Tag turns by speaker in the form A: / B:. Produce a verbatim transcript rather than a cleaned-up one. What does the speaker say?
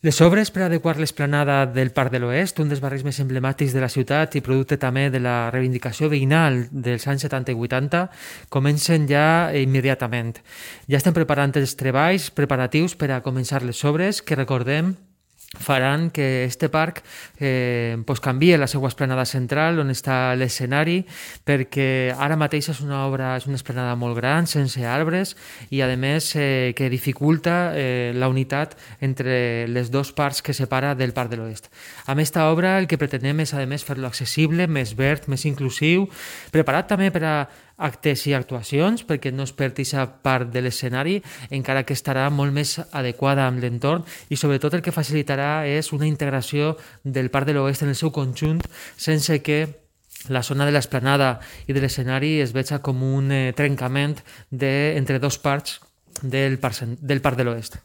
A: Les obres per adequar l'esplanada del Parc de l'Oest, un dels barris més emblemàtics de la ciutat i producte també de la reivindicació veïnal dels anys setanta i vuitanta, comencen ja immediatament. Ja estem preparant els treballs preparatius per a començar les obres que, recordem, faran que este parc eh, pues canvie la seva esplanada central on està l'escenari, perquè ara mateix és una obra, és una esplanada molt gran, sense arbres i a més eh, que dificulta eh, la unitat entre les dos parts que separa del Parc de l'Oest. Amb esta obra el que pretenem és a més fer-lo accessible, més verd, més inclusiu, preparat també per a actes i actuacions, perquè no es perd aquesta part de l'escenari, encara que estarà molt més adequada amb l'entorn i sobretot el que facilitarà és una integració del Parc de l'Oest en el seu conjunt sense que la zona de l'esplanada i de l'escenari es veja com un eh, trencament de, entre dos parts del Parc, del Parc de l'Oest.